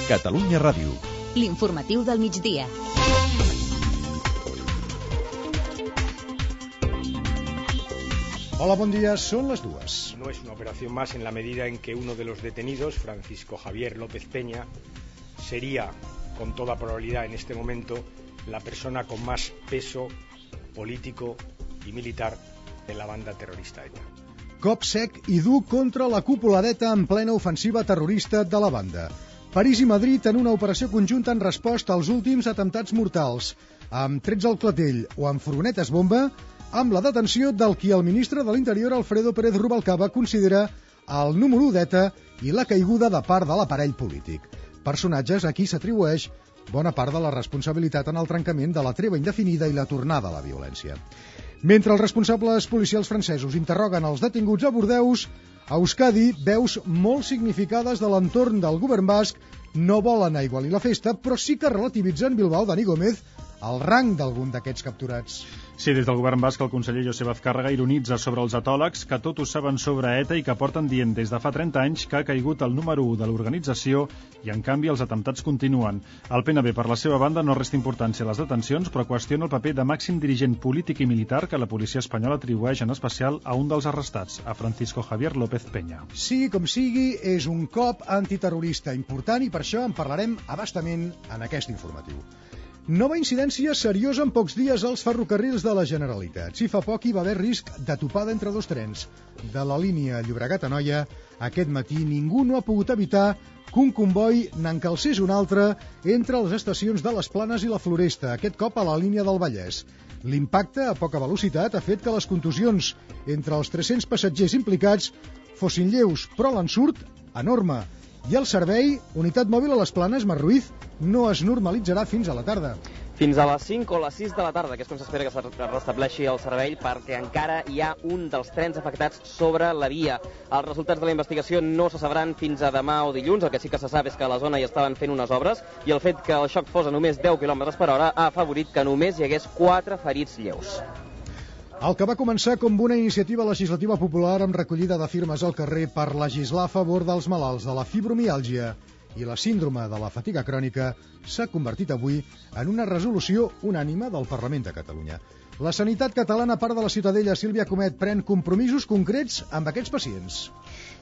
Catalunya Ràdio. L'informatiu del migdia. Hola, buen día, son las 2. No es una operación más en la medida en que uno de los detenidos, Francisco Javier López Peña, sería, con toda probabilidad en este momento, la persona con más peso político y militar de la banda terrorista ETA. Cop sec i dur contra la cúpula d'ETA en plena ofensiva terrorista de la banda. París i Madrid en una operació conjunta en resposta als últims atemptats mortals, amb trets al clatell o amb furgonetes bomba, amb la detenció del qui el ministre de l'Interior, Alfredo Pérez Rubalcaba, considera el número 1 d'ETA i la caiguda de part de l'aparell polític. Personatges a qui s'atribueix bona part de la responsabilitat en el trencament de la treva indefinida i la tornada a la violència. Mentre els responsables policials francesos interroguen els detinguts a Bordeus, a Euskadi, veus molt significades de l'entorn del govern basc no volen aigualir la festa, però sí que relativitzen Bilbao Dani Gómez el rang d'algun d'aquests capturats. Sí, des del govern basc el conseller Josep Azcárraga ironitza sobre els atòlegs que tot ho saben sobre ETA i que porten dient des de fa 30 anys que ha caigut el número 1 de l'organització i en canvi els atemptats continuen. El PNB per la seva banda no resta importància a les detencions però qüestiona el paper de màxim dirigent polític i militar que la policia espanyola atribueix en especial a un dels arrestats, a Francisco Javier López Peña. Sigui com sigui, és un cop antiterrorista important i per això en parlarem a bastament en aquest informatiu. Nova incidència seriosa en pocs dies als ferrocarrils de la Generalitat. Si fa poc hi va haver risc de topada entre dos trens. De la línia Llobregat-Anoia, aquest matí ningú no ha pogut evitar que un comboi n'encalcés un altre entre les estacions de les Planes i la Floresta, aquest cop a la línia del Vallès. L'impacte a poca velocitat ha fet que les contusions entre els 300 passatgers implicats fossin lleus, però l'ensurt enorme. I el servei, unitat mòbil a les Planes, Mar Ruiz, no es normalitzarà fins a la tarda. Fins a les 5 o les 6 de la tarda, que és quan s'espera que es restableixi el servei, perquè encara hi ha un dels trens afectats sobre la via. Els resultats de la investigació no se sabran fins a demà o dilluns. El que sí que se sap és que a la zona hi estaven fent unes obres i el fet que el xoc fos a només 10 km per hora ha afavorit que només hi hagués 4 ferits lleus. El que va començar com una iniciativa legislativa popular amb recollida de firmes al carrer per legislar a favor dels malalts de la fibromiàlgia i la síndrome de la fatiga crònica s'ha convertit avui en una resolució unànime del Parlament de Catalunya. La sanitat catalana, a part de la Ciutadella, Sílvia Comet, pren compromisos concrets amb aquests pacients.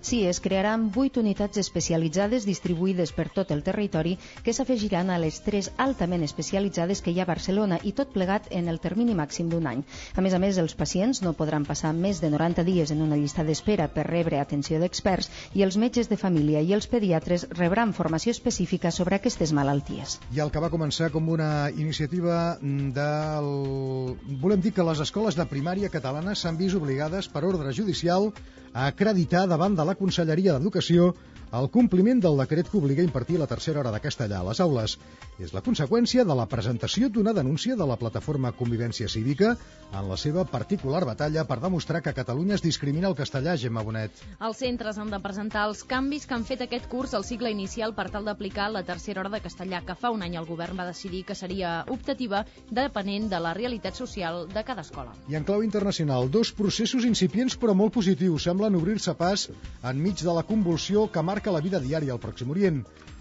Sí, es crearan 8 unitats especialitzades distribuïdes per tot el territori que s'afegiran a les 3 altament especialitzades que hi ha a Barcelona i tot plegat en el termini màxim d'un any. A més, els pacients no podran passar més de 90 dies en una llista d'espera per rebre atenció d'experts i els metges de família i els pediatres rebran formació específica sobre aquestes malalties. I el que va començar com una iniciativa Volem dir que les escoles de primària catalanes s'han vist obligades per ordre judicial a acreditar davant de la Conselleria d'Educació el compliment del decret que obliga a impartir la tercera hora de castellà a les aules. És la conseqüència de la presentació d'una denúncia de la plataforma Convivència Cívica en la seva particular batalla per demostrar que a Catalunya es discrimina el castellà, Gemma Bonet. Els centres han de presentar els canvis que han fet aquest curs al cicle inicial per tal d'aplicar la tercera hora de castellà, que fa un any el govern va decidir que seria optativa depenent de la realitat social de cada escola. I en clau internacional, 2 processos incipients però molt positius semblen obrir-se pas enmig de la convulsió que marca la vida diària al Pròxim Orient.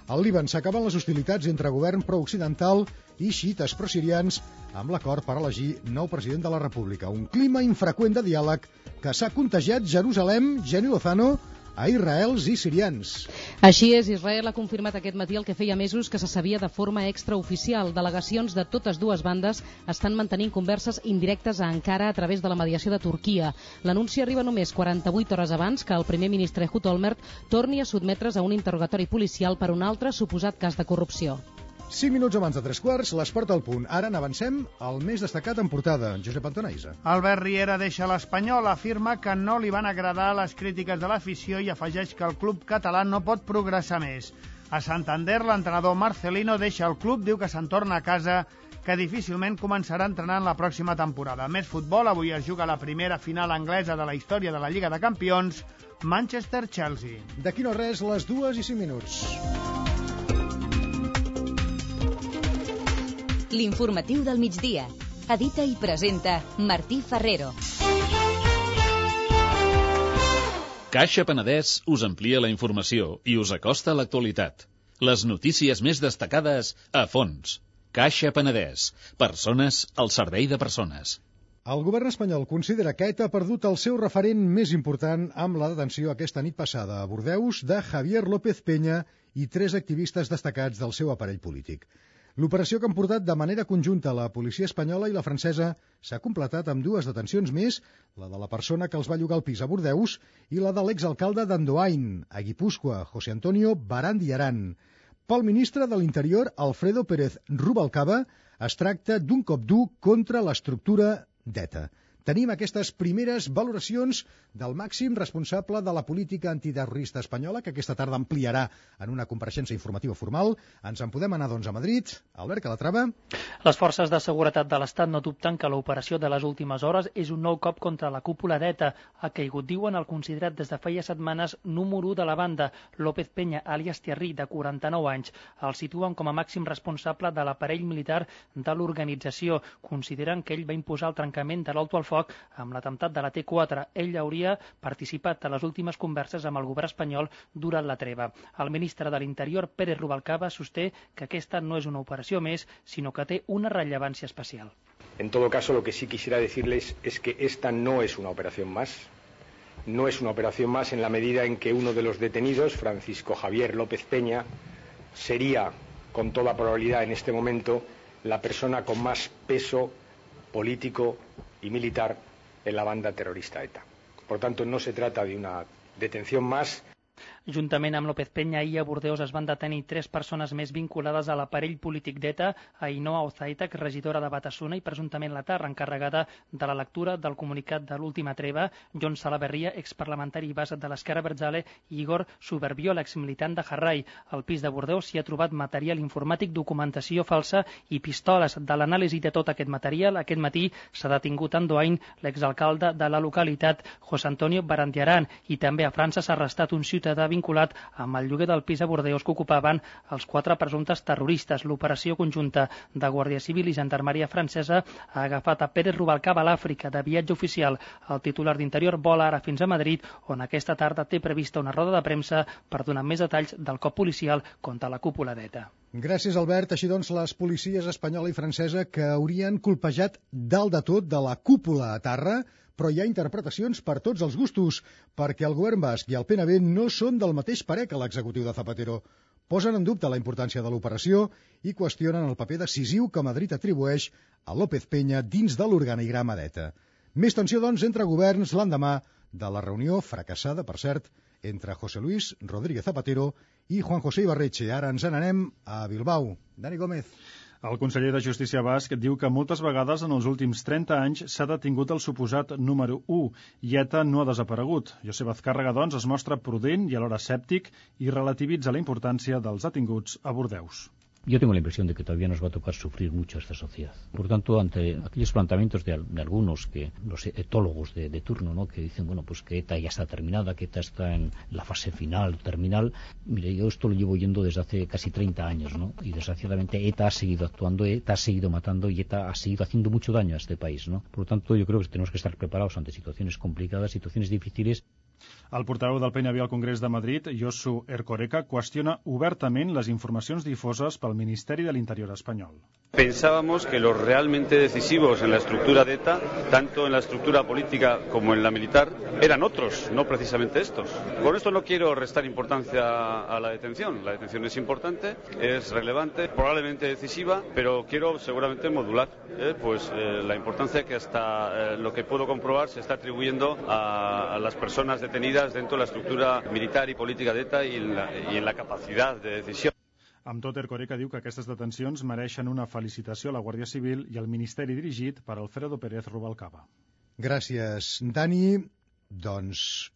Al Líban s'acaben les hostilitats entre govern pro-occidental i xiites pro-sirians amb l'acord per elegir nou president de la República. Un clima infreqüent de diàleg que s'ha contagiat Jerusalem, Jenny Lozano, a israels i sirians. Així és, Israel ha confirmat aquest matí el que feia mesos que se sabia de forma extraoficial. Delegacions de totes dues bandes estan mantenint converses indirectes a Ankara a través de la mediació de Turquia. L'anunci arriba només 48 hores abans que el primer ministre Ehud Olmert torni a sotmetre's a un interrogatori policial per un altre suposat cas de corrupció. 5 minuts abans de 3 quarts, l'esport al punt. Ara n'avancem al més destacat en portada, Josep Antonaiza. Albert Riera deixa l'Espanyol, afirma que no li van agradar les crítiques de l'afició i afegeix que el club català no pot progressar més. A Santander, l'entrenador Marcelino deixa el club, diu que se'n torna a casa, que difícilment començarà entrenant la pròxima temporada. Més futbol, avui es juga la primera final anglesa de la història de la Lliga de Campions, Manchester-Chelsea. D'aquí no res, les 2:05. L'informatiu del migdia. Edita i presenta Martí Ferrero. Caixa Penedès us amplia la informació i us acosta a l'actualitat. Les notícies més destacades a fons. Caixa Penedès. Persones al servei de persones. El govern espanyol considera que ETA ha perdut el seu referent més important amb la detenció aquesta nit passada a Bordeus de Javier López Peña i 3 activistes destacats del seu aparell polític. L'operació que han portat de manera conjunta la policia espanyola i la francesa s'ha completat amb 2 detencions més, la de la persona que els va llogar el pis a Bordeus i la de l'exalcalde d'Andoain, a Guipúscoa, José Antonio Barandi Aran. Pel ministre de l'Interior, Alfredo Pérez Rubalcaba, es tracta d'un cop dur contra l'estructura d'ETA. Tenim aquestes primeres valoracions del màxim responsable de la política antiterrorista espanyola, que aquesta tarda ampliarà en una compareixença informativa formal. Ens en podem anar, doncs, a Madrid. Albert Calatrava. Les forces de seguretat de l'Estat no dubten que l'operació de les últimes hores és un nou cop contra la cúpula d'ETA. Ha caigut, diuen, el considerat des de feia setmanes número 1 de la banda, López Peña, alias Thierry, de 49 anys. El situen com a màxim responsable de l'aparell militar de l'organització. Consideren que ell va imposar el trencament de l'alto al foc amb l'atemptat de la T4. Ell hauria participat a les últimes converses amb el govern espanyol durant la treva. El ministre de l'Interior, Pérez Rubalcaba, sosté que aquesta no és una operació més, sinó que té una rellevància especial. En todo caso, lo que sí quisiera decirles es que esta no es una operación más. No es una operación más en la medida en que uno de los detenidos, Francisco Javier López Peña, sería, con toda probabilidad en este momento, la persona con más peso político y militar en la banda terrorista ETA. Por tanto, no se trata de una detención más. Juntament amb López Peña, ahir a Bordeus es van detenir 3 persones més vinculades a l'aparell polític d'ETA, Ainhoa Ozaeta, regidora de Batasuna i presumptament la Tarra, encarregada de la lectura del comunicat de l'última treva, Jon Salaverria, exparlamentari base de l'Esquerra Abertzale, i Igor Suberbiol, exmilitant de Jarrai. Al pis de Bordeus s'hi ha trobat material informàtic, documentació falsa i pistoles. De l'anàlisi de tot aquest material, aquest matí s'ha detingut a Andoain l'exalcalde de la localitat, José Antonio Barandiaran, i també a França s'ha arrestat un ciutadà vinculat amb el lloguer del pis a Bordeus que ocupaven els 4 presumptes terroristes. L'operació conjunta de Guàrdia Civil i Gendarmeria francesa ha agafat a Pérez Rubalcaba a l'Àfrica de viatge oficial. El titular d'Interior vola ara fins a Madrid, on aquesta tarda té prevista una roda de premsa per donar més detalls del cop policial contra la cúpula d'ETA. Gràcies, Albert. Així doncs, les policies espanyola i francesa que haurien colpejat dalt de tot de la cúpula a terra, però hi ha interpretacions per tots els gustos, perquè el govern basc i el PNB no són del mateix parer que l'executiu de Zapatero. Posen en dubte la importància de l'operació i qüestionen el paper decisiu que Madrid atribueix a López Peña dins de l'organigrama d'ETA. Més tensió, doncs, entre governs l'endemà de la reunió fracassada, per cert, entre José Luis Rodríguez Zapatero i Juan José Ibarretxe. Ara ens n'anem a Bilbao. Dani Gómez. El conseller de Justícia basc diu que moltes vegades en els últims 30 anys s'ha detingut el suposat número 1 i ETA no ha desaparegut. Josep Azcárraga, doncs, es mostra prudent i alhora escèptic i relativitza la importància dels detinguts a Bordeus. Yo tengo la impresión de que todavía nos va a tocar sufrir mucho a esta sociedad. Por tanto, ante aquellos planteamientos de algunos, que los etólogos de turno, ¿no?, que dicen, bueno, pues que ETA ya está terminada, que ETA está en la fase final, terminal, mire, yo esto lo llevo oyendo desde hace casi 30 años, ¿no? Y desgraciadamente ETA ha seguido actuando, ETA ha seguido matando y ETA ha seguido haciendo mucho daño a este país, ¿no? Por lo tanto, yo creo que tenemos que estar preparados ante situaciones complicadas, situaciones difíciles. El portaveu del PNB al Congrés de Madrid, Josu Erkoreka, qüestiona obertament les informacions difoses pel Ministeri de l'Interior espanyol. Pensábamos que los realmente decisivos en la estructura de ETA, tanto en la estructura política como en la militar, eran otros, no precisamente estos. Con esto no quiero restar importancia a la detención. La detención es importante, es relevante, probablemente decisiva, pero quiero seguramente modular la importancia que hasta lo que puedo comprobar se está atribuyendo a las personas detenidas dentro de la estructura militar y política de ETA y en la capacidad de decisión. Amb tot, Erkoreka diu que aquestes detencions mereixen una felicitació a la Guàrdia Civil i al Ministeri dirigit per Alfredo Pérez Rubalcaba. Gràcies, Dani. Doncs,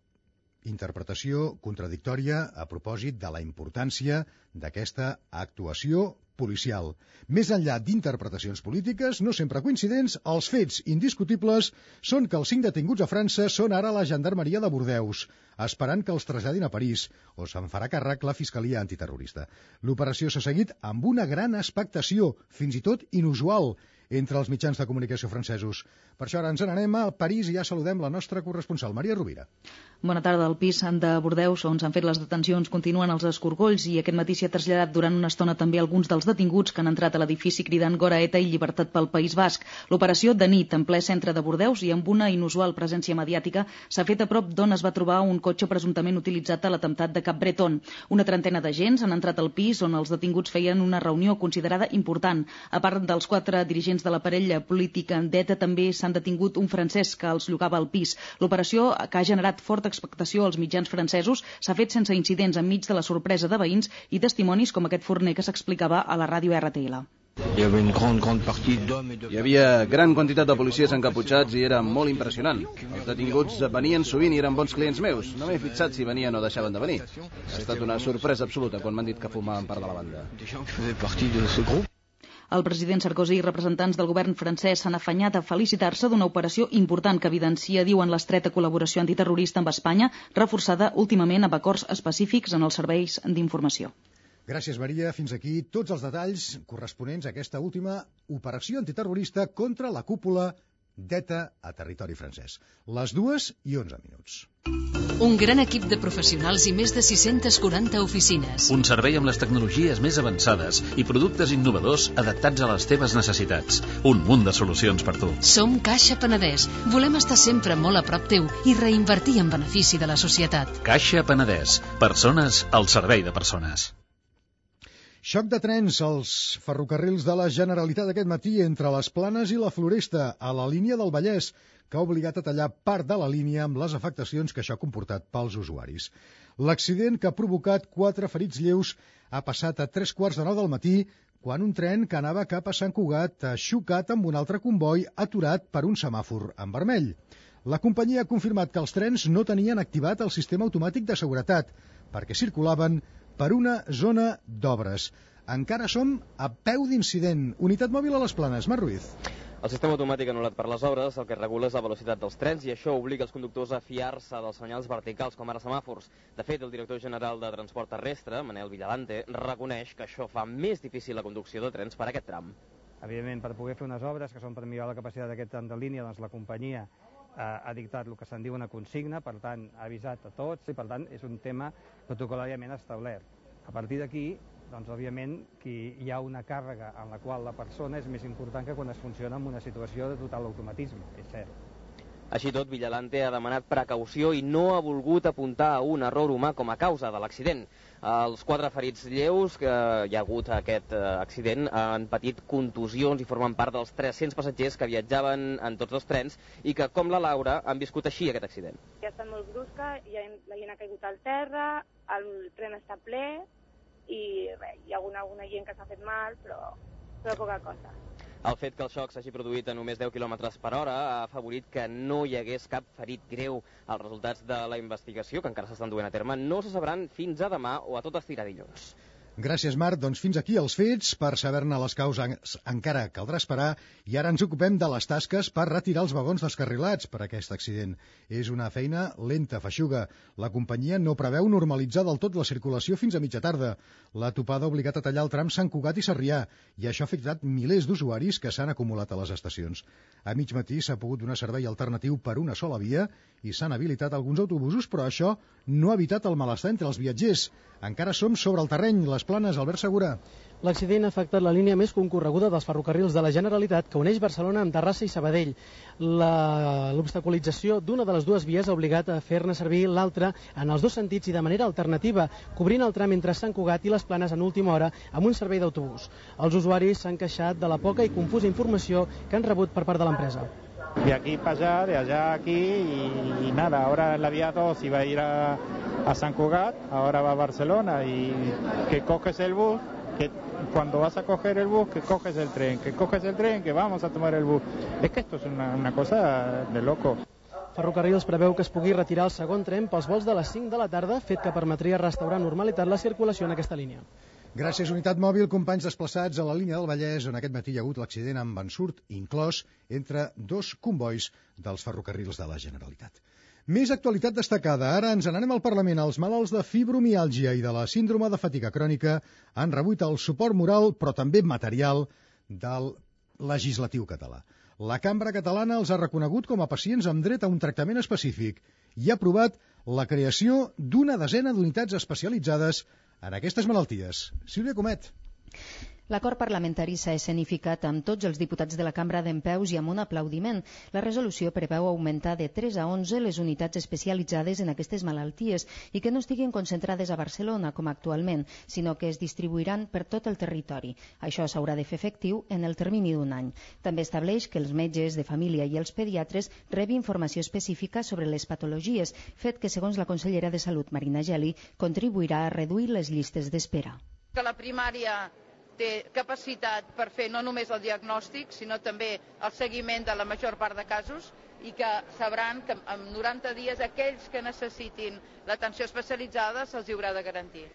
interpretació contradictòria a propòsit de la importància d'aquesta actuació policial. Més enllà d'interpretacions polítiques, no sempre coincidents, els fets indiscutibles són que els 5 detinguts a França són ara a la Gendarmeria de Bordeus, esperant que els traslladin a París, o se'n farà càrrec la Fiscalia Antiterrorista. L'operació s'ha seguit amb una gran expectació, fins i tot inusual, entre els mitjans de comunicació francesos. Per això ara ens n'anem a París i ja saludem la nostra corresponsal, Maria Rovira. Bona tarda. Al pis de Bordeus, on s'han fet les detencions, continuen els escorcolls i aquest matí s'hi ha traslladat durant una estona també alguns dels detinguts que han entrat a l'edifici cridant Gora ETA i llibertat pel País Basc. L'operació de nit en ple centre de Bordeus i amb una inusual presència mediàtica s'ha fet a prop d'on es va trobar un cotxe presumptament utilitzat a l'atemptat de Cap Breton. Una trentena d'agents han entrat al pis on els detinguts feien una reunió considerada important. A part dels 4 dirigents de l'aparell polític d'ETA, també s'han detingut un francès que els llogava al pis. L'operació, que ha generat forta expectació als mitjans francesos, s'ha fet sense incidents enmig de la sorpresa de veïns i testimonis com aquest forner que s'explicava a la ràdio RTL. Hi havia gran quantitat de policies encaputxats i era molt impressionant. Els detinguts venien sovint i eren bons clients meus. No m'he fixat si venien o deixaven de venir. Ha estat una sorpresa absoluta quan m'han dit que formaven part de la banda. El president Sarkozy i representants del govern francès s'han afanyat a felicitar-se d'una operació important que evidencia, diuen, l'estreta col·laboració antiterrorista amb Espanya, reforçada últimament amb acords específics en els serveis d'informació. Gràcies, Maria. Fins aquí tots els detalls corresponents a aquesta última operació antiterrorista contra la cúpula d'ETA a territori francès. Les 2:11. Un gran equip de professionals i més de 640 oficines. Un servei amb les tecnologies més avançades i productes innovadors adaptats a les teves necessitats. Un munt de solucions per tu. Som Caixa Penedès. Volem estar sempre molt a prop teu i reinvertir en benefici de la societat. Caixa Penedès. Persones al servei de persones. Xoc de trens als ferrocarrils de la Generalitat aquest matí entre les Planes i la Floresta, a la línia del Vallès, que ha obligat a tallar part de la línia amb les afectacions que això ha comportat pels usuaris. L'accident, que ha provocat 4 ferits lleus, ha passat a 3:15 del matí, quan un tren que anava cap a Sant Cugat ha xocat amb un altre comboi aturat per un semàfor en vermell. La companyia ha confirmat que els trens no tenien activat el sistema automàtic de seguretat, perquè circulaven per una zona d'obres. Encara som a peu d'incident. Unitat mòbil a les Planes. Marc Ruiz. El sistema automàtic anul·lat per les obres el que regula és la velocitat dels trens i això obliga els conductors a fiar-se dels senyals verticals, com ara semàfors. De fet, el director general de Transport Terrestre, Manel Villalante, reconeix que això fa més difícil la conducció de trens per aquest tram. Evidentment, per poder fer unes obres que són per millorar la capacitat d'aquest tram de línia, doncs la companyia ha dictat el que se'n diu una consigna, per tant, ha avisat a tots i, per tant, és un tema protocolàriament establert. A partir d'aquí, doncs, òbviament, que hi ha una càrrega en la qual la persona és més important que quan es funciona en una situació de total automatisme, és cert. Així tot, Villalante ha demanat precaució i no ha volgut apuntar a un error humà com a causa de l'accident. Els 4 ferits lleus que hi ha hagut a aquest accident han patit contusions i formen part dels 300 passatgers que viatjaven en tots 2 trens i que, com la Laura, han viscut així aquest accident. Ja ha estat molt brusca, la gent ha caigut al terra, el tren està ple i res, hi ha alguna gent que s'ha fet mal, però poca cosa. El fet que el xoc s'hagi produït a només 10 km per hora ha afavorit que no hi hagués cap ferit greu. Els resultats de la investigació, que encara s'estan duent a terme, no se sabran fins a demà o a tot estirar dilluns. Gràcies, Marc. Doncs fins aquí els fets. Per saber-ne les causes encara caldrà esperar i ara ens ocupem de les tasques per retirar els vagons descarrilats per aquest accident. És una feina lenta, feixuga. La companyia no preveu normalitzar del tot la circulació fins a mitja tarda. La topada ha obligat a tallar el tram Sant Cugat i Sarrià i això ha afectat milers d'usuaris que s'han acumulat a les estacions. A mig matí s'ha pogut donar servei alternatiu per una sola via i s'han habilitat alguns autobusos, però això no ha evitat el malestar entre els viatgers. Encara som sobre el terreny. Les Planes, Albert Segura. L'accident ha afectat la línia més concorreguda dels ferrocarrils de la Generalitat que uneix Barcelona amb Terrassa i Sabadell. L'obstaculització d'una de les 2 vies ha obligat a fer-ne servir l'altra en els 2 sentits i de manera alternativa, cobrint el tram entre Sant Cugat i les Planes en última hora amb un servei d'autobús. Els usuaris s'han queixat de la poca i confusa informació que han rebut per part de l'empresa. De aquí para allá, de allá a aquí y nada, ahora en la vía 2 iba a ir a San Cugat, ahora va a Barcelona y que coges el bus, que cuando vas a coger el bus, que coges el tren, que vamos a tomar el bus. Es que esto es una cosa de loco. Ferrocarrils preveu que es pugui retirar el segon tren pels vols de les 5 de la tarda, fet que permetria restaurar normalitat la circulació en aquesta línia. Gràcies, Unitat Mòbil, companys desplaçats a la línia del Vallès, on aquest matí hi ha hagut l'accident amb ensurt inclòs entre 2 combois dels ferrocarrils de la Generalitat. Més actualitat destacada. Ara ens n'anem al Parlament. Els malalts de fibromiàlgia i de la síndrome de fatiga crònica han rebut el suport moral, però també material, del legislatiu català. La Cambra Catalana els ha reconegut com a pacients amb dret a un tractament específic i ha aprovat la creació d'una desena d'unitats especialitzades en aquestes malalties. Sílvia Comet. L'acord parlamentari s'ha escenificat amb tots els diputats de la cambra dempeus i amb un aplaudiment. La resolució preveu augmentar de 3 a 11 les unitats especialitzades en aquestes malalties i que no estiguin concentrades a Barcelona, com actualment, sinó que es distribuiran per tot el territori. Això s'haurà de fer efectiu en el termini d'un any. També estableix que els metges de família i els pediatres rebin informació específica sobre les patologies, fet que, segons la consellera de Salut, Marina Geli, contribuirà a reduir les llistes d'espera. Que la primària té capacitat per fer no només el diagnòstic, sinó també el seguiment de la major part de casos i que sabran que en 90 dies aquells que necessitin l'atenció especialitzada se'ls haurà de garantir.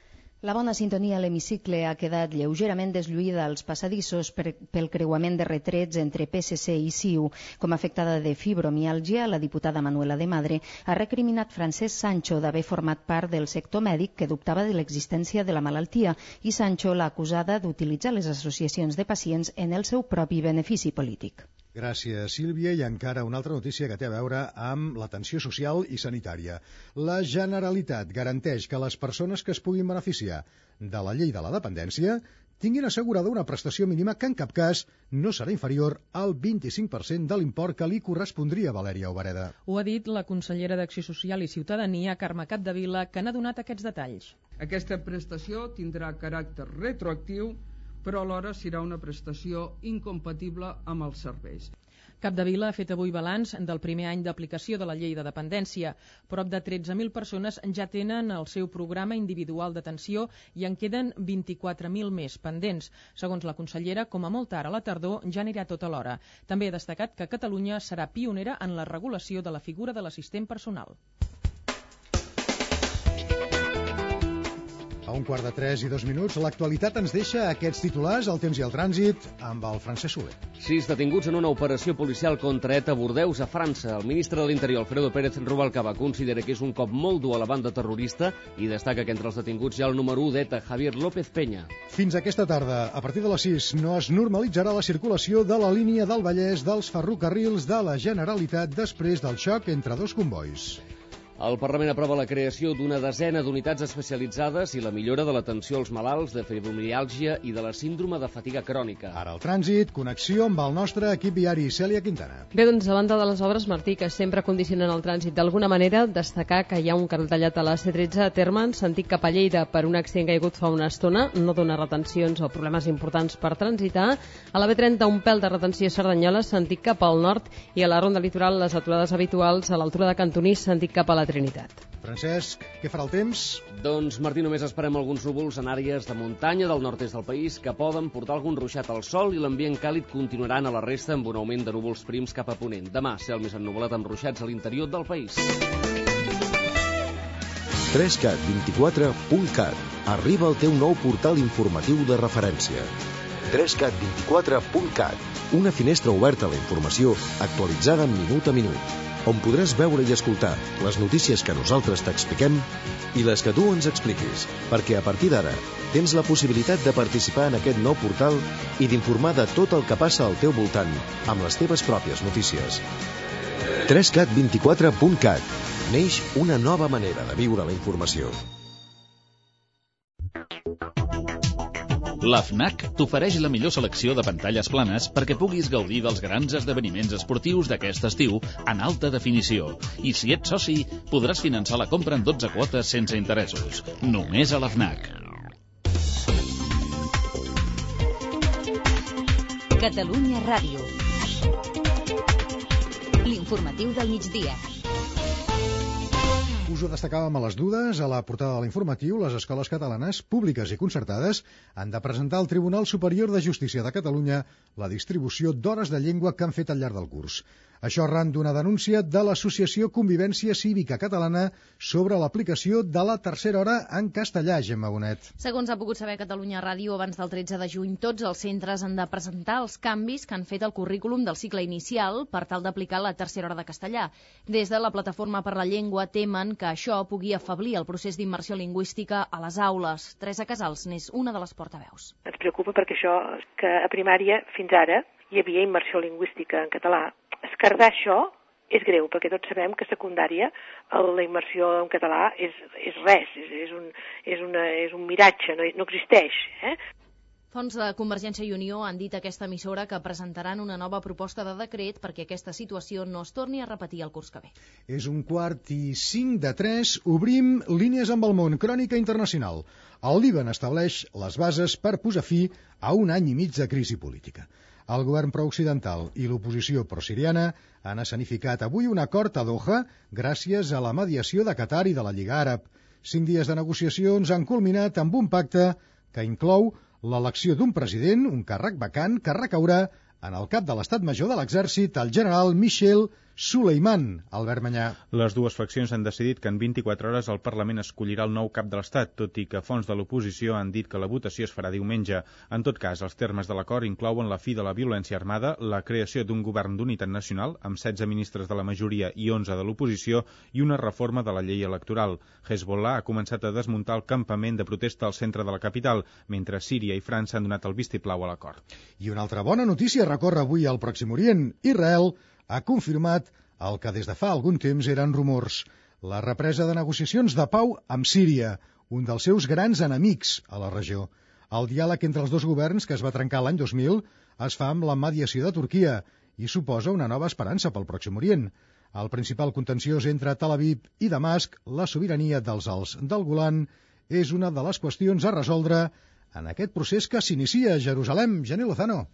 La bona sintonia a l'hemicicle ha quedat lleugerament deslluïda als passadissos pel creuament de retrets entre PSC i CiU. Com a afectada de fibromiàlgia, la diputada Manuela de Madre ha recriminat Francesc Sancho d'haver format part del sector mèdic que dubtava de l'existència de la malaltia i Sancho l'ha acusada d'utilitzar les associacions de pacients en el seu propi benefici polític. Gràcies, Sílvia. I encara una altra notícia que té a veure amb l'atenció social i sanitària. La Generalitat garanteix que les persones que es puguin beneficiar de la llei de la dependència tinguin assegurada una prestació mínima que en cap cas no serà inferior al 25% de l'import que li correspondria a Valèria Obereda. Ho ha dit la consellera d'Acció Social i Ciutadania, Carme Capdevila, que n'ha donat aquests detalls. Aquesta prestació tindrà caràcter retroactiu, però alhora serà una prestació incompatible amb els serveis. Capdevila ha fet avui balanç del primer any d'aplicació de la llei de dependència. Prop de 13.000 persones ja tenen el seu programa individual d'atenció i en queden 24.000 més pendents. Segons la consellera, com a molt tard a la tardor ja anirà tot alhora. També ha destacat que Catalunya serà pionera en la regulació de la figura de l'assistent personal. A 2:15 l'actualitat ens deixa aquests titulars, el temps i el trànsit, amb el Francesc Soler. 6 detinguts en una operació policial contra ETA a Bordeus, a França. El ministre de l'Interior, Alfredo Pérez Rubalcaba, considera que és un cop molt dur a la banda terrorista i destaca que entre els detinguts hi ha el número 1 d'ETA, Javier López Peña. Fins aquesta tarda, a partir de les 6, no es normalitzarà la circulació de la línia del Vallès dels ferrocarrils de la Generalitat després del xoc entre dos convois. El Parlament aprova la creació d'una desena d'unitats especialitzades i la millora de l'atenció als malalts de fibromiàlgia i de la síndrome de fatiga crònica. Ara el trànsit, connexió amb el nostre equip viari, Cèlia Quintana. Bé, doncs, a banda de les obres, Martí, que sempre condicionen el trànsit d'alguna manera, destacar que hi ha un carril tallat a la C13 a Terme, en sentit cap a Lleida, per un accident que hi ha hagut fa una estona, no dona retencions o problemes importants per transitar. A la B30, un pèl de retenció a Cerdanyola, sentit cap al nord, i a la ronda litoral, les aturades habituals a l'altura de Cantonís, sentit cap a la Trinitat. Francesc, què farà el temps? Doncs, Martí, només esperem alguns núvols en àrees de muntanya del nord-est del país que poden portar algun ruixat al sol i l'ambient càlid continuaran a la resta amb un augment de núvols prims cap a ponent. Demà, cel més ennuvolat amb ruixats a l'interior del país. 3cat24.cat. Arriba el teu nou portal informatiu de referència. 3cat24.cat. Una finestra oberta a la informació actualitzada minut a minut, on podràs veure i escoltar les notícies que nosaltres t'expliquem i les que tu ens expliquis, perquè a partir d'ara tens la possibilitat de participar en aquest nou portal i d'informar de tot el que passa al teu voltant amb les teves pròpies notícies. 3cat24.cat. Neix una nova manera de viure la informació. La FNAC t'ofereix la millor selecció de pantalles planes perquè puguis gaudir dels grans esdeveniments esportius d'aquest estiu en alta definició. I si ets soci, podràs finançar la compra en 12 quotes sense interessos. Només a la FNAC. Catalunya Ràdio. L'informatiu del migdia. Us ho destacàvem a les dudes, a la portada de l'informatiu, les escoles catalanes, públiques i concertades, han de presentar al Tribunal Superior de Justícia de Catalunya la distribució d'hores de llengua que han fet al llarg del curs. Això arran d'una denúncia de l'Associació Convivència Cívica Catalana sobre l'aplicació de la tercera hora en castellà, Gemma Bonet. Segons ha pogut saber Catalunya Ràdio, abans del 13 de juny, tots els centres han de presentar els canvis que han fet al currículum del cicle inicial per tal d'aplicar la tercera hora de castellà. Des de la Plataforma per la Llengua temen que això pugui afeblir el procés d'immersió lingüística a les aules. Teresa Casals n'és una de les portaveus. Ens preocupa perquè això, que a primària fins ara hi havia immersió lingüística en català. Esquerdar això és greu, perquè tots sabem que a secundària la immersió en català és res, és un miratge, no existeix. Fonts de Convergència i Unió han dit a aquesta emissora que presentaran una nova proposta de decret perquè aquesta situació no es torni a repetir el curs que ve. És 2:45, obrim Línies amb el món, crònica internacional. El Líban estableix les bases per posar fi a un any i mig de crisi política. El govern pro-occidental i l'oposició pro-siriana han escenificat avui un acord a Doha gràcies a la mediació de Qatar i de la Lliga Àrab. 5 dies de negociacions han culminat amb un pacte que inclou l'elecció d'un president, un càrrec vacant, que recaurà en el cap de l'Estat Major de l'Exèrcit, el general Michel Suleiman. Albert Manyà. Les dues faccions han decidit que en 24 hores el Parlament escollirà el nou cap de l'Estat, tot i que fonts de l'oposició han dit que la votació es farà diumenge. En tot cas, els termes de l'acord inclouen la fi de la violència armada, la creació d'un govern d'unitat nacional, amb 16 ministres de la majoria i 11 de l'oposició, i una reforma de la llei electoral. Hezbollah ha començat a desmuntar el campament de protesta al centre de la capital, mentre Síria i França han donat el vistiplau a l'acord. I una altra bona notícia recorre avui al Pròxim Orient. Israel ha confirmat el que des de fa algun temps eren rumors, la represa de negociacions de pau amb Síria, un dels seus grans enemics a la regió. El diàleg entre els dos governs, que es va trencar l'any 2000, es fa amb la mediació de Turquia i suposa una nova esperança pel Pròxim Orient. El principal contenciós entre Tel Aviv i Damasc, la sobirania dels Alts del Golan, és una de les qüestions a resoldre en aquest procés que s'inicia a Jerusalem. Jenny Lozano.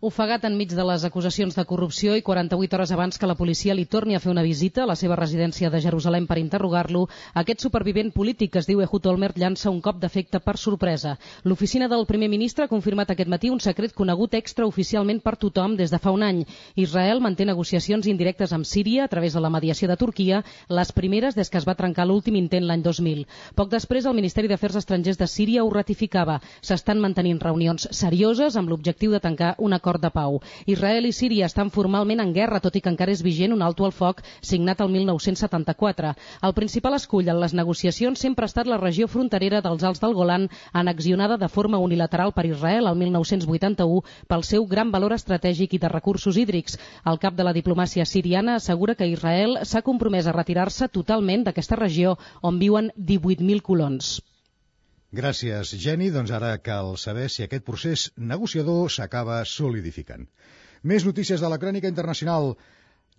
Ofegat enmig de les acusacions de corrupció i 48 hores abans que la policia li torni a fer una visita a la seva residència de Jerusalem per interrogar-lo, aquest supervivent polític que es diu Ehud Olmert llança un cop d'efecte per sorpresa. L'oficina del primer ministre ha confirmat aquest matí un secret conegut extraoficialment per tothom des de fa un any. Israel manté negociacions indirectes amb Síria a través de la mediació de Turquia, les primeres des que es va trencar l'últim intent l'any 2000. Poc després, el Ministeri d'Afers Estrangers de Síria ho ratificava. S'estan mantenint reunions serioses amb l'objectiu de tancar un acord de pau. Israel i Síria estan formalment en guerra, tot i que encara és vigent un alto al foc signat el 1974. El principal escull en les negociacions sempre ha estat la regió fronterera dels Alts del Golan, annexionada de forma unilateral per Israel el 1981 pel seu gran valor estratègic i de recursos hídrics. El cap de la diplomàcia siriana assegura que Israel s'ha compromès a retirar-se totalment d'aquesta regió on viuen 18.000 colons. Gràcies, Jenny. Doncs ara cal saber si aquest procés negociador s'acaba solidificant. Més notícies de la crònica internacional.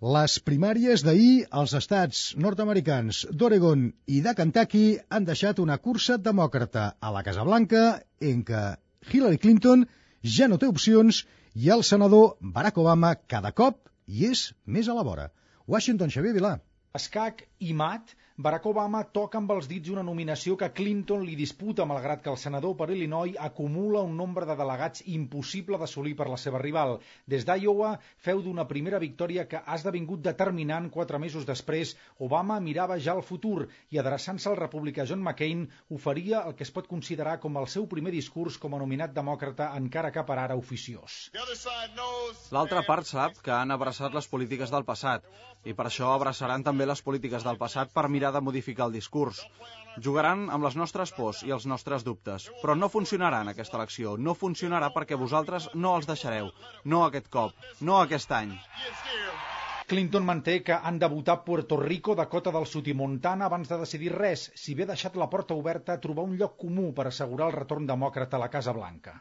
Les primàries d'ahir als estats nord-americans d'Oregon i de Kentucky han deixat una cursa demòcrata a la Casa Blanca en què Hillary Clinton ja no té opcions i el senador Barack Obama cada cop hi és més a la vora. Washington, Xavier Vilà. Escac i mat, Barack Obama toca amb els dits una nominació que Clinton li disputa, malgrat que el senador per Illinois acumula un nombre de delegats impossible d'assolir per la seva rival. Des d'Iowa feu d'una primera victòria que ha esdevingut determinant 4 mesos després. Obama mirava ja al futur i, adreçant-se al republicà John McCain, oferia el que es pot considerar com el seu primer discurs com a nominat demòcrata, encara que per ara oficiós. L'altra part sap que han abraçat les polítiques del passat i per això abraçaran també les polítiques del passat per mirar de modificar el discurs. Jugaran amb les nostres pors i els nostres dubtes, però no funcionarà en aquesta elecció, no funcionarà perquè vosaltres no els deixareu, no aquest cop, no aquest any. Clinton manté que han de votar Puerto Rico, Dakota del Sud i Montana abans de decidir res, si bé ha deixat la porta oberta a trobar un lloc comú per assegurar el retorn demòcrata a la Casa Blanca.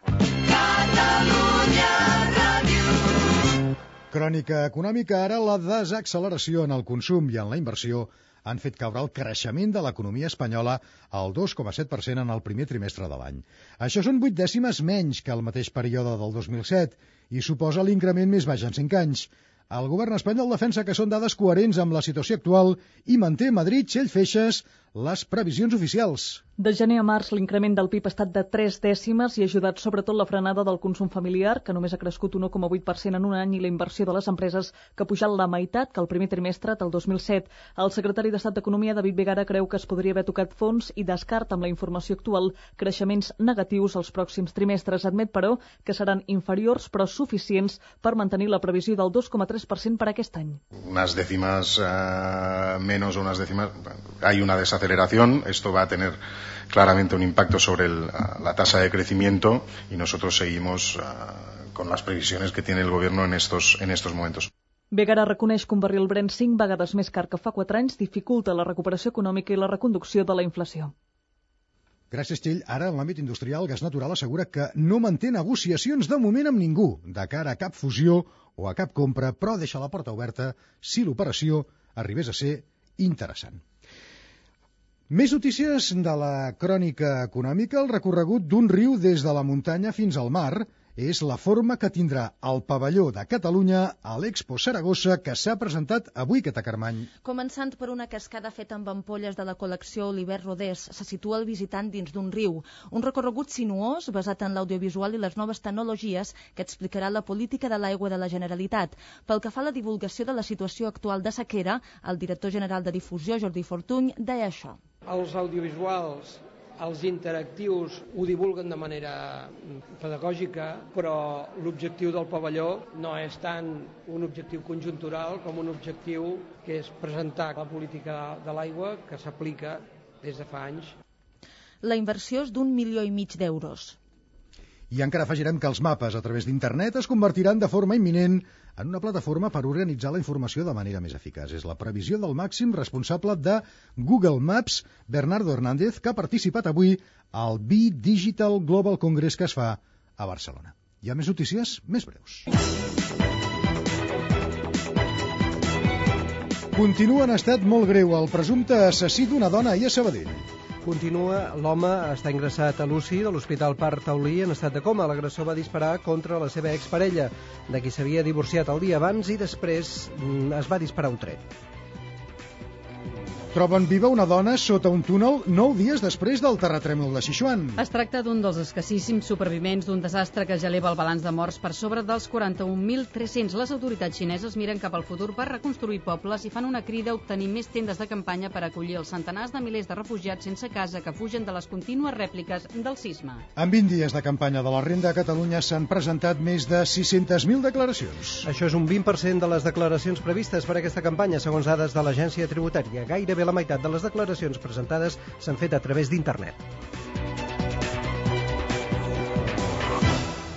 Crònica econòmica, ara la desacceleració en el consum i en la inversió han fet caure el creixement de l'economia espanyola al 2,7% en el primer trimestre de l'any. Això són 8 dècimes menys que el mateix període del 2007 i suposa l'increment més baix en 5 anys. El govern espanyol defensa que són dades coherents amb la situació actual i manté Madrid, Txell Feixes, les previsions oficials. De gener a març, l'increment del PIB ha estat de 3 dècimes i ha ajudat sobretot la frenada del consum familiar, que només ha crescut 1,8% en un any, i la inversió de les empreses, que ha pujat la meitat que el primer trimestre del 2007. El secretari d'Estat d'Economia, David Vegara, creu que es podria haver tocat fons i descarta amb la informació actual creixements negatius als pròxims trimestres. Admet, però, que seran inferiors però suficients per mantenir la previsió del 2,3% per aquest any. Unas décimas menos o unas décimas, hay una desaceleración, esto va a tener claramente un impacto sobre la tasa de crecimiento y nosotros seguimos con las previsiones que tiene el gobierno en estos momentos. Begara reconeix que un barril Brent 5 vegades més car que fa 4 anys dificulta la recuperació econòmica i la reconducció de la inflació. Gràcies, Txell. Ara, en l'àmbit industrial, Gas Natural assegura que no manté negociacions de moment amb ningú de cara a cap fusió o a cap compra, però deixa la porta oberta si l'operació arribés a ser interessant. Més notícies de la crònica econòmica. El recorregut d'un riu des de la muntanya fins al mar és la forma que tindrà el pavelló de Catalunya a l'Expo Saragossa, que s'ha presentat avui, Cata Carmany. Començant per una cascada feta amb ampolles de la col·lecció Oliver Rodés, se situa el visitant dins d'un riu. Un recorregut sinuós basat en l'audiovisual i les noves tecnologies que explicarà la política de l'aigua de la Generalitat. Pel que fa a la divulgació de la situació actual de sequera, el director general de difusió, Jordi Fortuny, deia això. Els audiovisuals, els interactius ho divulguen de manera pedagògica, però l'objectiu del pavelló no és tant un objectiu conjuntural com un objectiu que és presentar la política de l'aigua que s'aplica des de fa anys. La inversió és d'1,5 milions d'euros. I encara afegirem que els mapes a través d'internet es convertiran de forma imminent en una plataforma per organitzar la informació de manera més eficaç. És la previsió del màxim responsable de Google Maps, Bernardo Hernández, que ha participat avui al Be Digital Global Congress que es fa a Barcelona. Hi ha més notícies, més breus. Continua en estat molt greu el presumpte assassí d'una dona ahir a Sabadell. Continua, l'home està ingressat a l'UCI de l'Hospital Parc Taulí en estat de coma. L'agressor va disparar contra la seva exparella, de qui s'havia divorciat el dia abans, i després es va disparar un tret. Troben viva una dona sota un túnel 9 dies després del terratrèmol de Sichuan. Es tracta d'un dels escassíssims supervivents d'un desastre que ja eleva el balanç de morts per sobre dels 41.300. Les autoritats xineses miren cap al futur per reconstruir pobles i fan una crida a obtenir més tendes de campanya per acollir els centenars de milers de refugiats sense casa que fugen de les contínues rèpliques del sisme. En 20 dies de campanya de la renda a Catalunya s'han presentat més de 600.000 declaracions. Això és un 20% de les declaracions previstes per aquesta campanya, segons dades de l'Agència Tributària. Gairebé la meitat de les declaracions presentades s'han fet a través d'internet.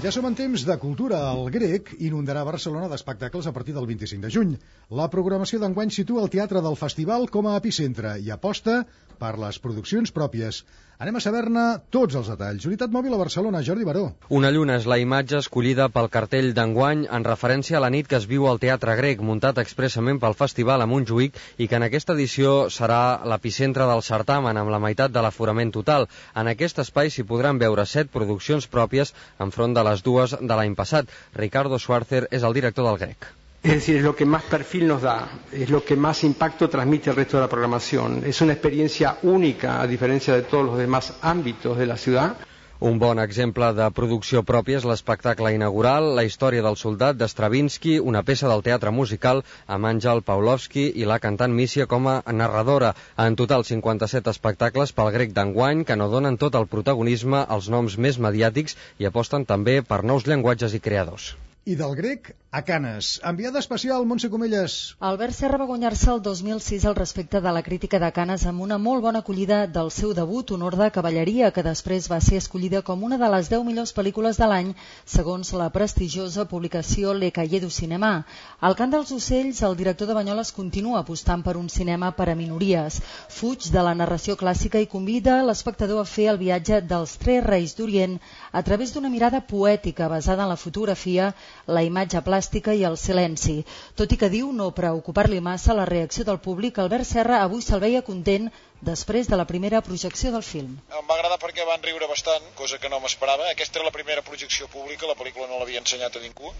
Ja som en temps de cultura. El Grec inundarà Barcelona d'espectacles a partir del 25 de juny. La programació d'enguany situa el Teatre del Festival com a epicentre i aposta per les produccions pròpies. Anem a saber-ne tots els detalls. Unitat Mòbil a Barcelona, Jordi Baró. Una lluna és la imatge escollida pel cartell d'enguany en referència a la nit que es viu al Teatre Grec, muntat expressament pel festival a Montjuïc i que en aquesta edició serà l'epicentre del certamen amb la meitat de l'aforament total. En aquest espai s'hi podran veure 7 produccions pròpies enfront de les 2 de l'any passat. Ricardo Schwarzer és el director del Grec. Es decir, es lo que más perfil nos da, es lo que más impacto transmite al resto de la programación. Es una experiencia única, a diferencia de todos los demás ámbitos de la ciudad. Un bon exemple de producció pròpia és l'espectacle inaugural, La història del soldat d'Stravinsky, una peça del teatre musical amb Àngel Pawlowski i la cantant Mísia com a narradora. En total 57 espectacles pel Grec d'enguany que no donen tot el protagonisme als noms més mediàtics i aposten també per nous llenguatges i creadors. I del Grec a Canes. Enviada especial, Montse Comelles. Albert Serra va guanyar-se el 2006 el respecte de la crítica de Canes amb una molt bona acollida del seu debut, Honor de cavalleria, que després va ser escollida com una de les 10 millors pel·lícules de l'any, segons la prestigiosa publicació Le Cahiers du Cinéma. Al Cant dels Ocells, el director de Banyoles continua apostant per un cinema per a minories. Fuig de la narració clàssica i convida l'espectador a fer el viatge dels 3 reis d'Orient a través d'una mirada poètica basada en la fotografia, la imatge plàstica i el silenci. Tot i que diu no preocupar-li massa la reacció del públic, Albert Serra avui se'l veia content després de la primera projecció del film. Em va agradar perquè van riure bastant, cosa que no m'esperava. Aquesta era la primera projecció pública, la pel·lícula no l'havia ensenyat a ningú,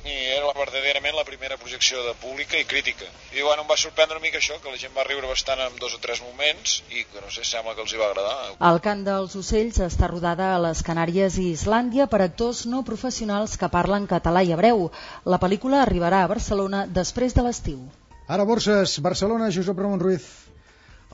i era verdaderament la primera projecció de pública i crítica. I bueno, em va sorprendre una mica això, que la gent va riure bastant en 2 o 3 moments i que no sé, sembla que els hi va agradar. El Cant dels Ocells està rodada a les Canàries i Islàndia per actors no professionals que parlen català i hebreu. La pel·lícula arribarà a Barcelona després de l'estiu. Ara borses, Barcelona, Josep Ramon Ruiz.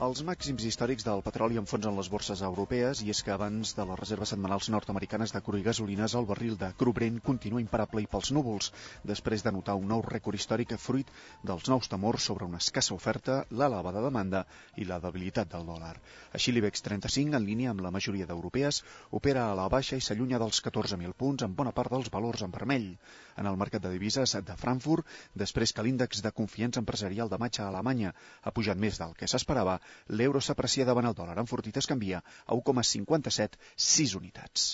Els màxims històrics del petroli enfonsen les borses europees i és que abans de les reserves setmanals nord-americanes de cru i gasolines el barril de cru Brent continua imparable i pels núvols, després de notar un nou rècord històric fruit dels nous temors sobre una escassa oferta, l'elevada demanda i la debilitat del dòlar. Així l'IBEX 35, en línia amb la majoria d'europees, opera a la baixa i s'allunya dels 14.000 punts amb bona part dels valors en vermell. En el mercat de divises de Frankfurt, després que l'índex de confiança empresarial de maig a Alemanya ha pujat més del que s'esperava, l'euro s'aprecia davant el dòlar enfortit, es canvia a 1,57, 6 unitats.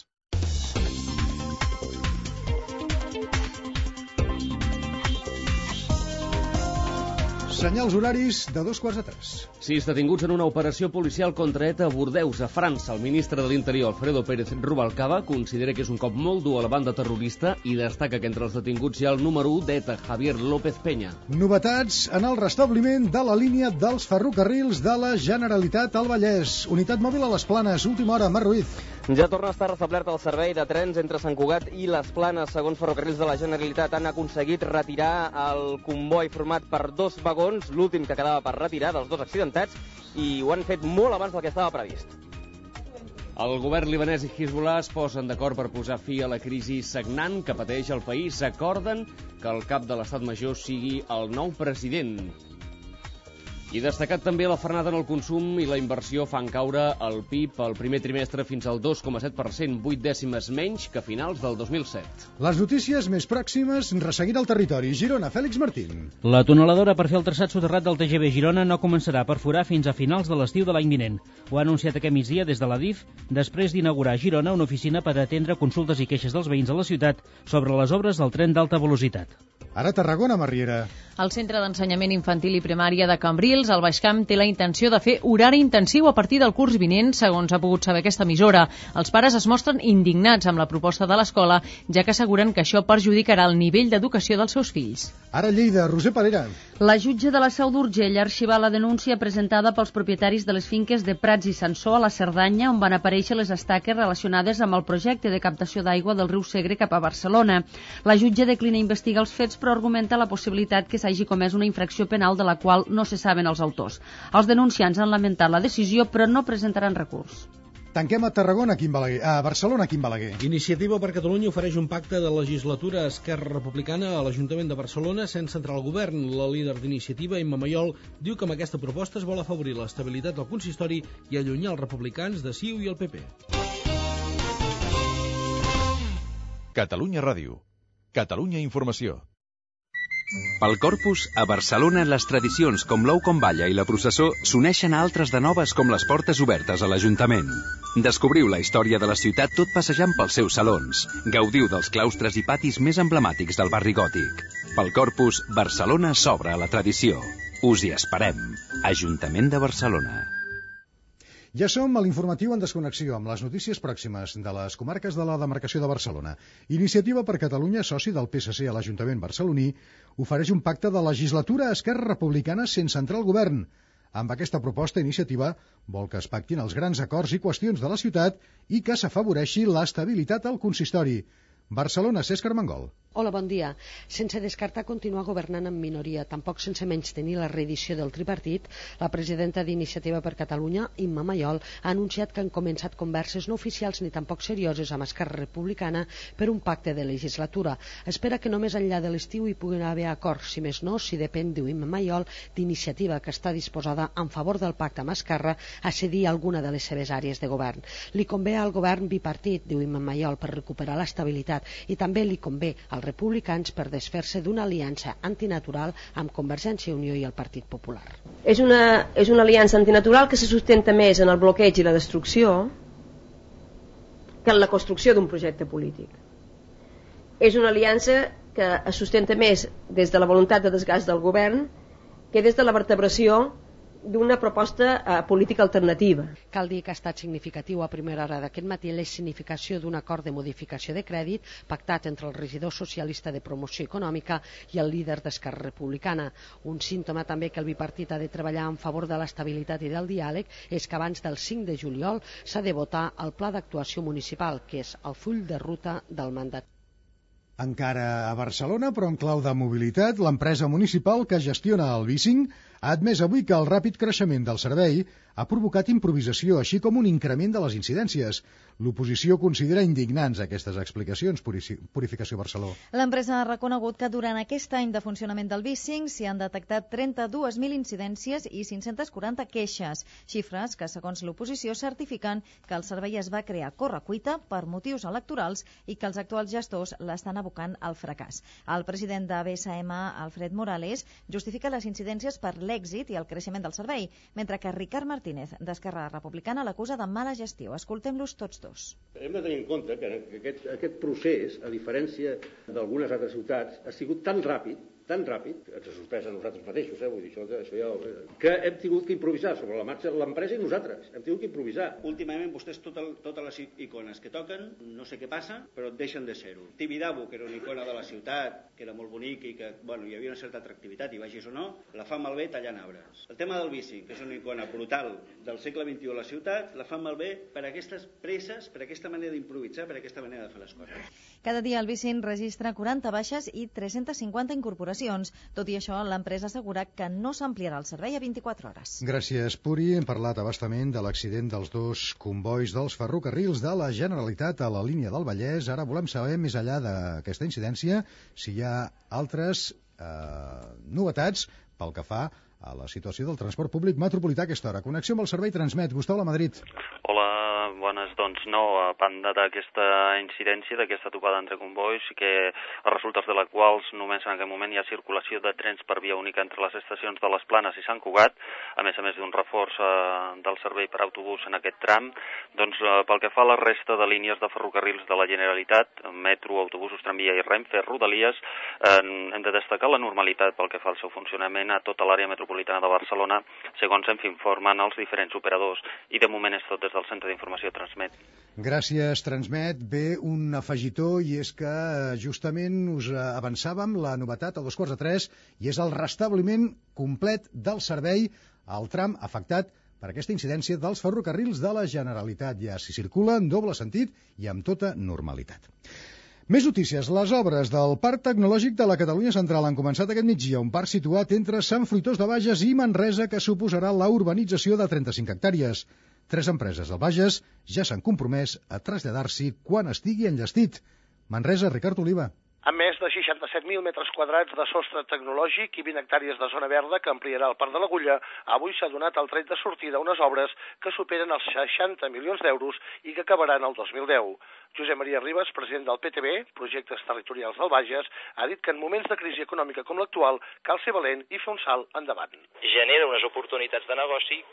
Senyals horaris de 2:15. 6 detinguts en una operació policial contra ETA a Bordeus, a França. El ministre de l'Interior, Alfredo Pérez Rubalcaba, considera que és un cop molt dur a la banda terrorista i destaca que entre els detinguts hi ha el número 1 d'ETA, Javier López Peña. Novetats en el restabliment de la línia dels ferrocarrils de la Generalitat al Vallès. Unitat mòbil a les Planes, última hora, Marc Ruiz. Ja torna a estar restablert el servei de trens entre Sant Cugat i les Planes. Segons Ferrocarrils de la Generalitat, han aconseguit retirar el comboi format per 2 vagons, l'últim que quedava per retirar dels 2 accidentats, i ho han fet molt abans del que estava previst. El govern libanès i Hezbollah es posen d'acord per posar fi a la crisi sagnant que pateix el país. Acorden que el cap de l'Estat Major sigui el nou president. I destacat també la frenada en el consum i la inversió fan caure el PIB al primer trimestre fins al 2,7%, 8 dècimes menys que a finals del 2007. Les notícies més pròximes, resseguint el territori. Girona, Fèlix Martín. La tuneladora per fer el traçat soterrat del TGV Girona no començarà a perforar fins a finals de l'estiu de l'any vinent. Ho ha anunciat aquest migdia des de la DIF, després d'inaugurar a Girona una oficina per atendre consultes i queixes dels veïns de la ciutat sobre les obres del tren d'alta velocitat. Ara Tarragona, Marriera. El Centre d'Ensenyament Infantil i Primària de Cambrils, al Baix Camp, té la intenció de fer horari intensiu a partir del curs vinent, segons ha pogut saber aquesta emissora. Els pares es mostren indignats amb la proposta de l'escola, ja que asseguren que això perjudicarà el nivell d'educació dels seus fills. Ara Lleida, Roser Parera. La jutge de la Seu d'Urgell ha arxivat la denúncia presentada pels propietaris de les finques de Prats i Sansó a la Cerdanya, on van aparèixer les estaques relacionades amb el projecte de captació d'aigua del riu Segre cap a Barcelona. La jutge declina investigar els fets, però argumenta la possibilitat que s'hagi comès una infracció penal de la qual no se saben els autors. Els denunciants han lamentat la decisió, però no presentaran recurs. Tanquem a Tarragona, Quim Balaguer. A Barcelona, Quim Balaguer. Iniciativa per Catalunya ofereix un pacte de legislatura a Esquerra Republicana a l'Ajuntament de Barcelona sense entrar al govern. La líder d'Iniciativa, Imma Mayol, diu que amb aquesta proposta es vol afavorir l'estabilitat del consistori i allunyar els republicans de CiU i el PP. Catalunya Ràdio. Catalunya Informació. Pel Corpus, a Barcelona, les tradicions com l'ou com balla i la processó s'uneixen a altres de noves com les portes obertes a l'Ajuntament. Descobriu la història de la ciutat tot passejant pels seus salons. Gaudiu dels claustres i patis més emblemàtics del barri gòtic. Pel Corpus, Barcelona s'obre a la tradició. Us hi esperem. Ajuntament de Barcelona. Ja som a l'informatiu en desconnexió amb les notícies pròximes de les comarques de la demarcació de Barcelona. Iniciativa per Catalunya, soci del PSC a l'Ajuntament barceloní, ofereix un pacte de legislatura a Esquerra Republicana sense entrar al govern. Amb aquesta proposta, Iniciativa vol que es pactin els grans acords i qüestions de la ciutat i que s'afavoreixi l'estabilitat al consistori. Barcelona, Cesc Armengol. Hola, bon dia. Sense descartar continuar governant en minoria, tampoc sense menystenir la reedició del tripartit, la presidenta d'Iniciativa per Catalunya, Imma Mayol, ha anunciat que han començat converses no oficials ni tampoc serioses amb Esquerra Republicana per un pacte de legislatura. Espera que només enllà de l'estiu hi puguin haver acords, si més no, si depèn, diu Imma Mayol, d'Iniciativa, que està disposada, en favor del pacte amb Esquerra, a cedir alguna de les seves àrees de govern. Li convé al govern bipartit, diu Imma Mayol, per recuperar l'estabilitat, i també li convé als republicans per desfer-se d'una aliança antinatural amb Convergència i Unió i el Partit Popular. És una aliança antinatural que se sustenta més en el bloqueig i la destrucció que en la construcció d'un projecte polític. És una aliança que es sustenta més des de la voluntat de desgast del govern que des de la vertebració d'una proposta política alternativa. Cal dir que ha estat significatiu a primera hora d'aquest matí la significació d'un acord de modificació de crèdit pactat entre el regidor socialista de promoció econòmica i el líder d'Esquerra Republicana. Un símptoma també que el bipartit ha de treballar en favor de l'estabilitat i del diàleg és que abans del 5 de juliol s'ha de votar el pla d'actuació municipal, que és el full de ruta del mandat. Encara a Barcelona, però en clau de mobilitat, l'empresa municipal que gestiona el bicing ha admès avui que el ràpid creixement del servei ha provocat improvisació, així com un increment de les incidències. L'oposició considera indignants aquestes explicacions. Purificació Barceló. L'empresa ha reconegut que durant aquest any de funcionament del BIS5 s'hi han detectat 32.000 incidències i 540 queixes, xifres que, segons l'oposició, certifiquen que el servei es va crear a correcuita per motius electorals i que els actuals gestors l'estan abocant al fracàs. El president de BSM, Alfred Morales, justifica les incidències per l'èxit i el creixement del servei, mentre que Ricard Martínez, d'Esquerra Republicana, l'acusa de mala gestió. Escoltem-los tots dos. Hem de tenir en compte que aquest procés, a diferència d'algunes altres ciutats, ha sigut tan ràpid, que ens ha sorprès a nosaltres mateixos, vull dir, això ja, que hem tingut que improvisar sobre la marxa, l'empresa i nosaltres, hem tingut que improvisar. Últimament vostès totes les icones que toquen, no sé què passa, però deixen de ser-ho. Tibidabo, que era una icona de la ciutat, que era molt bonica i que hi havia una certa atractivitat, i vagis o no, la fan malbé tallant arbres. El tema del bici, que és una icona brutal del segle XXI a la ciutat, la fan malbé per aquestes presses, per aquesta manera d'improvisar, per aquesta manera de fer les coses. Cada dia el BIS5 registra 40 baixes i 350 incorporacions. Tot i això, l'empresa assegura que no s'ampliarà el servei a 24 hores. Gràcies, Puri. Hem parlat abastament de l'accident dels dos combois dels ferrocarrils de la Generalitat a la línia del Vallès. Ara volem saber, més enllà d'aquesta incidència, si hi ha altres novetats pel que fa a la situació del transport públic metropolità a aquesta hora. Connexió amb el servei Transmet. Gustau Lamadrid. Hola, bones. Doncs no, a banda d'aquesta incidència, d'aquesta topada entre combois, que els resultats de la quals només en aquest moment hi ha circulació de trens per via única entre les estacions de les Planes i Sant Cugat, a més d'un reforç del servei per autobús en aquest tram. Doncs pel que fa a la resta de línies de ferrocarrils de la Generalitat, metro, autobusos, tramvia i Renfe, Rodalies, hem de destacar la normalitat pel que fa al seu funcionament a tota l'àrea metropolitana de Barcelona, segons ens informen els diferents operadors, i de moment és tot des del Centre d'Informació Transmet. Gràcies, Transmet. Bé, un afegitó, i és que justament us avançàvem la novetat a 2:45, i és el restabliment complet del servei al tram afectat per aquesta incidència dels ferrocarrils de la Generalitat. Ja s'hi circula en doble sentit i amb tota normalitat. Més notícies. Les obres del Parc Tecnològic de la Catalunya Central han començat aquest migdia, un parc situat entre Sant Fruitós de Bages i Manresa que suposarà la urbanització de 35 hectàrees. 3 empreses del Bages ja s'han compromès a traslladar-s'hi quan estigui enllestit. Manresa, Ricard Oliva. Amb més de 67.000 metres quadrats de sostre tecnològic i 20 hectàrees de zona verda que ampliarà el Parc de l'Agulla, avui s'ha donat el tret de sortida unes obres que superen els 60 milions d'euros i que acabaran el 2010. Josep Maria Ribas, president del PTB, Projectes Territorials del Bages, ha dit que en moments de crisi econòmica com l'actual cal ser valent i fer un salt endavant. Genera unes oportunitats de negoci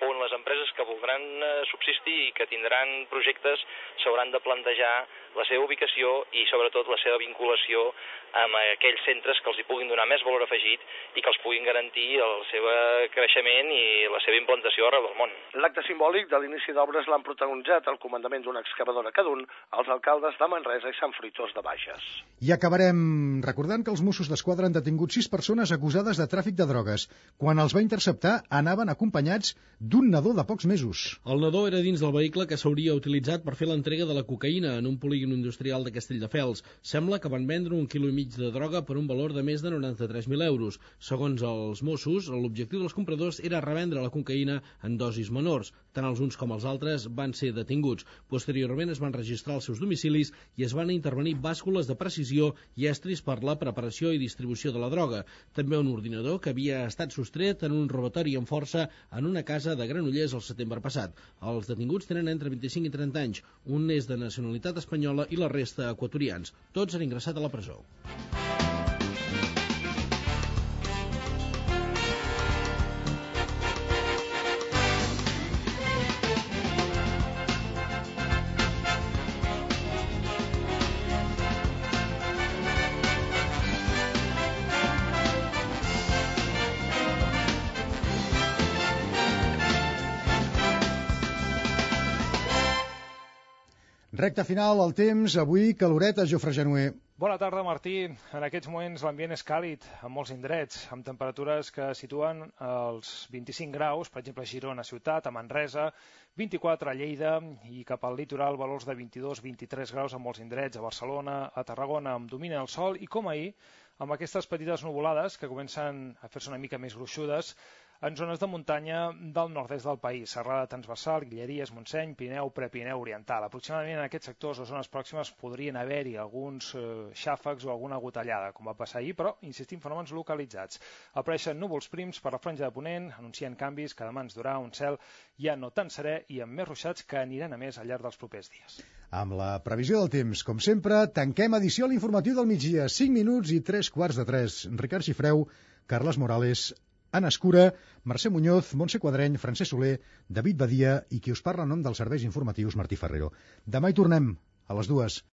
on les empreses que voldran subsistir i que tindran projectes s'hauran de plantejar la seva ubicació i sobretot la seva vinculació amb aquells centres que els hi puguin donar més valor afegit i que els puguin garantir el seu creixement i la seva implantació arreu del món. L'acte simbòlic de l'inici d'obres l'han protagonitzat el comandament d'una excavadora cada un, els alcaldes de Manresa i Sant Fruitós de Bages. I acabarem recordant que els Mossos d'Esquadra han detingut 6 persones acusades de tràfic de drogues. Quan els va interceptar, anaven acompanyats d'un nadó de pocs mesos. El nadó era dins del vehicle que s'hauria utilitzat per fer l'entrega de la cocaïna en un polígon industrial de Castelldefels. Sembla que van vendre 1,5 quilo de droga per un valor de més de 93.000 euros. Segons els Mossos, l'objectiu dels compradors era revendre la cocaïna en dosis menors. Tant els uns com els altres van ser detinguts. Posteriorment es van registrar els seus domicilis i es van intervenir bàscules de precisió i estris per la preparació i distribució de la droga. També un ordinador que havia estat sostret en un robatori amb força en una casa de Granollers el setembre passat. Els detinguts tenen entre 25 i 30 anys. Un és de nacionalitat espanyola i la resta equatorians. Tots han ingressat a la presó. Recte final, el temps, avui caloret a Jofre Genuer. Bona tarda, Martí. En aquests moments l'ambient és càlid en molts indrets, amb temperatures que situen els 25 graus, per exemple a Girona ciutat, a Manresa, 24 a Lleida i cap al litoral valors de 22-23 graus en molts indrets, a Barcelona, a Tarragona, amb domina el sol i com ahir amb aquestes petites nuvolades que comencen a fer-se una mica més gruixudes en zones de muntanya del nord-est del país, Serrada Transversal, Guilleries, Montseny, Pirineu, Prepirineu Oriental. Aproximadament en aquests sectors o zones pròximes podrien haver-hi alguns xàfecs o alguna gotellada, com va passar ahir, però, insistim, fenòmens localitzats. Apareixen núvols prims per la franja de Ponent, anuncien canvis que demà ens durà un cel ja no tan serè i amb més ruixats que aniran a més al llarg dels propers dies. Amb la previsió del temps, com sempre, tanquem edició a l'informatiu del migdia, 5 minuts i 3:45. Ricard Xifreu, Carles Morales, Anna Escura, Mercè Muñoz, Montse Quadreny, Francesc Soler, David Badia i qui us parla en nom dels serveis informatius, Martí Ferrero. Demà hi tornem, a les 2.